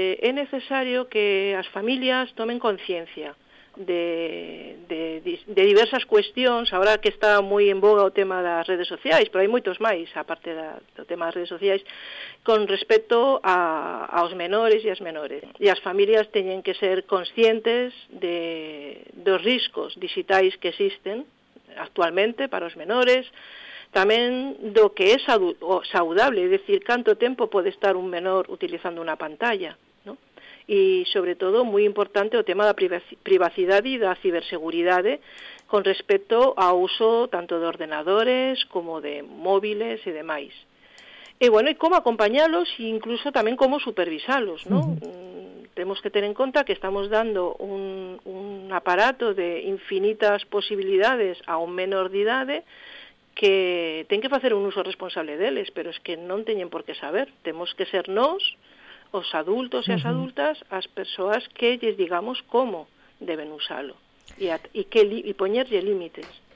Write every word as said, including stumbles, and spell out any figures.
É necesario que as familias tomen conciencia de, de, de diversas cuestións, agora que está moi en boga o tema das redes sociais, pero hai moitos máis, aparte da, do tema das redes sociais, con respecto a, aos menores e as menores. E as familias teñen que ser conscientes de, dos riscos digitais que existen actualmente para os menores, tamén do que é saudable, é dicir, canto tempo pode estar un menor utilizando unha pantalla, ¿no? E, sobre todo, moi importante o tema da privacidade e da ciberseguridade con respecto ao uso tanto de ordenadores como de móviles e demais. E, bueno, e como acompañalos e incluso tamén como supervisalos, ¿no? Uh-huh. Temos que ter en conta que estamos dando un, un aparato de infinitas posibilidades a un menor de idade que ten que facer un uso responsable deles, pero es que non teñen por que saber. Temos que ser nós, os adultos e as adultas, as persoas que lles digamos como deben usalo e, at, e, que, e poñerlle límites.